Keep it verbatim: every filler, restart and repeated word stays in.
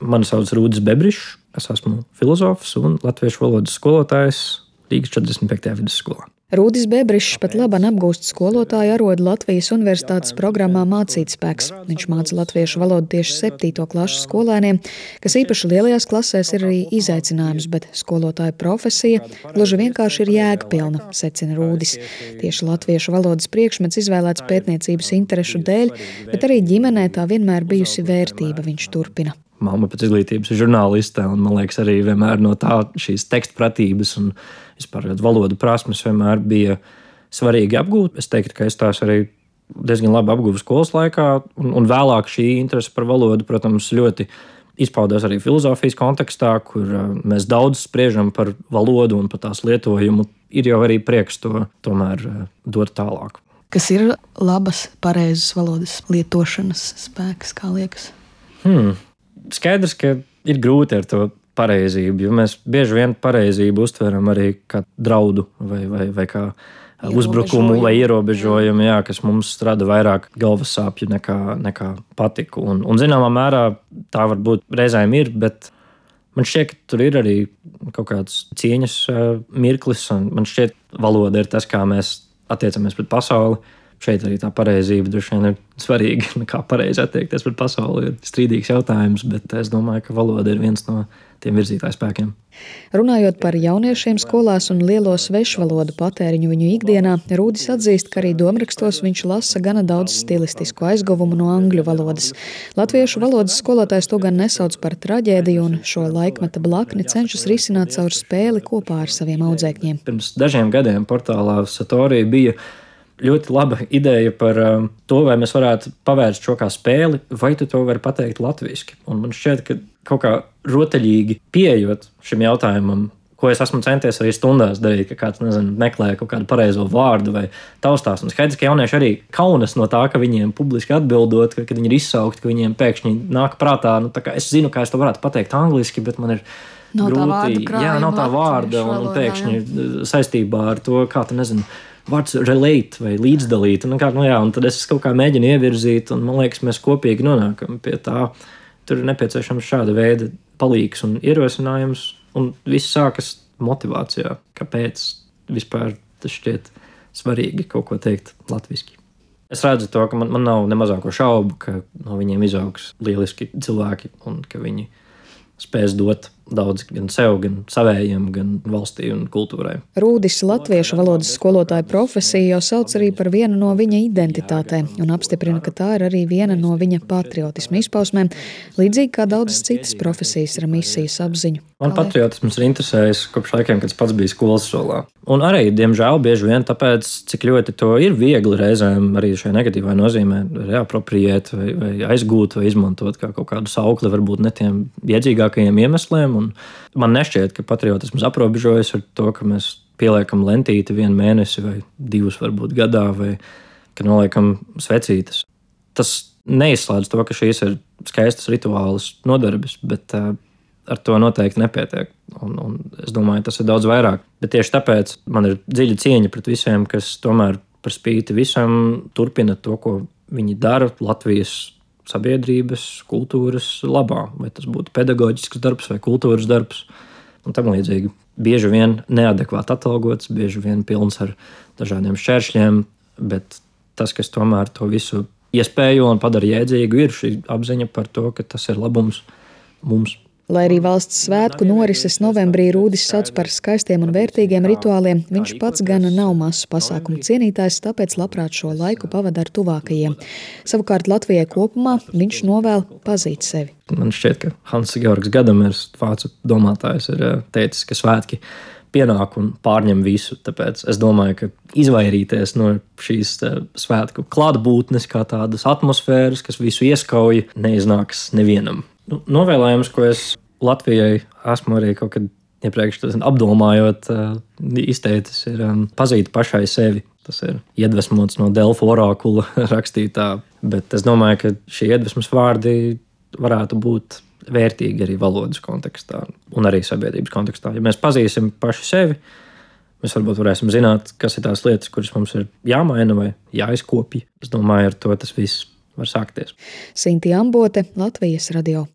Mani sauc Rūdis Bebrišs, es esmu filozofs un latviešu valodas skolotājs Rīgas četrdesmit piektajā vidusskolā. Rūdis Bebrišs pat labāk apgūst skolotāju arodu Latvijas universitātes programmā Mācītspēks. Viņš māca latviešu valodu tieši septīto klašu skolēniem, kas īpaši lielajās klasēs ir arī izaicinājums, bet skolotāja profesija gluži vienkārši ir jēgpilna, secina Rūdis. Tieši latviešu valodas priekšmets izvēlēts pētniecības interešu dēļ, bet arī ģimenē tā vienmēr bijusi vērtība, viņš turpina. Mamma pēc izglītības ir žurnāliste, un man liekas, arī vienmēr no tā šīs tekstpratības un vispār valodu prasmes vienmēr bija svarīgi apgūt. Es teiktu, ka es tās arī diezgan labi apguvu skolas laikā, un, un vēlāk šī interese par valodu, protams, ļoti izpaudās arī filozofijas kontekstā, kur mēs daudz spriežam par valodu un par tās lietojumu. Ir jau arī prieks to tomēr dot tālāk. Kas ir labas, pareizas valodas lietošanas spēks, kā liekas? Hmm. Skaidrs, ka ir grūti ar to pareizību, jo mēs bieži vien pareizību uztveram arī kā draudu vai, vai, vai kā uzbrukumu vai ierobežojumu, jā, kas mums rada vairāk galvas sāpju nekā, nekā patiku. Un, un zināmā mērā tā varbūt reizēm ir, bet man šķiet, ka tur ir arī kaut kāds cieņas mirklis, un man šķiet, valoda ir tas, kā mēs attiecamies pret pasauli. Šeit arī tā pareizība droši vien ir svarīga. Kā pareizi attiekties pret pasauli ir strīdīgs jautājums, bet es domāju, ka valoda ir viens no tiem virzītāju spēkiem. Runājot par jauniešiem skolās un lielo svešvalodu patēriņu viņu ikdienā, Rūdis atzīst, ka arī domrakstos viņš lasa gana daudz stilistisku aizguvumu no angļu valodas. Latviešu valodas skolotājs to gan nesauc par traģēdiju, un šo laikmeta blakni cenšas risināt caur spēli kopā ar saviem audzēkņiem. Pirms dažiem gadiem portālā Satorija bija ļoti laba ideja par um, to, vai mēs varētu pavērst šo kā spēli, vai tu to vari pateikt latviski. Un man šķiet, ka kaut kā rotaļīgi pieejot šim jautājumam, ko es esmu centies arī stundās darīt, ka kāds, nezinu, meklē kaut kādu pareizo vārdu vai taustās. Un skaidrs, ka jaunieši arī kaunas no tā, ka viņiem publiski atbildot, ka, kad viņi ir izsaukti, ka viņiem pēkšņi nāk prātā, nu tā kā es zinu, kā es to varētu pateikt angliski, bet man ir nav grūti, jā, nav tā vārda, un, un pēkšņi jā. Saistībā ar to, kā tu nezinu, vārds relate vai līdzdalīt. Un, kā, nu jā, un tad es kaut kā mēģinu ievirzīt, un man liekas, mēs kopīgi nonākam pie tā. Tur ir nepieciešams šāda veida palīgs un ierosinājums, un viss sākas motivācijā. Kāpēc vispār tas šķiet svarīgi kaut ko teikt latviski? Es redzu to, ka man, man nav ne mazāko šaubu, ka no viņiem izaugs lieliski cilvēki un ka viņi spēs dot daudz gan sev, gan savējiem, gan valstī un kultūrai. Rūdis latviešu valodas skolotāja profesiju jau sauc arī par vienu no viņa identitātēm un apstiprina, ka tā ir arī viena no viņa patriotisma izpausmēm, līdzīgi kā daudzas citas profesijas ar misijas apziņu. Man patriotisms ir interesējis kopš laikiem, kad es pats biju skolas solā. Un arī, diemžēl, bieži vien tāpēc, cik ļoti to ir viegli reizēm arī šajā negatīvā nozīmē reapropriēt vai, vai aizgūt vai izmantot kā kaut kādu saukli, varbūt ne tiem iedzīgākajiem iemesliem. Un man nešķiet, ka patriotisms aprobežojas ar to, ka mēs pieliekam lentīti vienu mēnesi vai divus varbūt gadā, vai ka noliekam svecītes. Tas neizslēdz to, ka šīs ir skaistas rituālas nodarbes, bet uh, ar to noteikti nepietiek. Un, un es domāju, tas ir daudz vairāk. Bet tieši tāpēc man ir dziļa cieņa pret visiem, kas tomēr par spīti visam turpina to, ko viņi dara Latvijas sabiedrības, kultūras labā. Vai tas būtu pedagoģisks darbs vai kultūras darbs. Un tam līdzīgi bieži vien neadekvāti atalgots, bieži vien pilns ar dažādiem šķēršļiem, bet tas, kas tomēr to visu iespējo un padara jēdzīgu, ir šī apziņa par to, ka tas ir labums mums. Lai arī valsts svētku norises novembrī Rūdis sauc par skaistiem un vērtīgiem rituāliem, viņš pats gan nav masu pasākumu cienītājs, tāpēc labprāt šo laiku pavada ar tuvākajiem. Savukārt Latvijai kopumā viņš novēl pazīt sevi. Man šķiet, ka Hanss Georgs Gadamirs, vācu domātājs, ir teicis, ka svētki pienāk un pārņem visu. Tāpēc es domāju, ka izvairīties no šīs svētku klātbūtnes kā tādas atmosfēras, kas visu ieskauj, neiznāks nevienam. Nu, novēlējums, ko es Latvijai esmu arī kaut kad iepriekš apdomājot, izteicis, ir pazīt pašai sevi. Tas ir iedvesmots no Delfu orakula rakstītā, bet es domāju, ka šie iedvesmas vārdi varētu būt vērtīgi arī valodas kontekstā un arī sabiedrības kontekstā. Ja mēs pazīsim paši sevi, mēs varbūt varēsim zināt, kas ir tās lietas, kuras mums ir jāmaina vai jāizkopja. Es domāju, ar to tas viss var sākties. Sintī Ambote, Latvijas radio.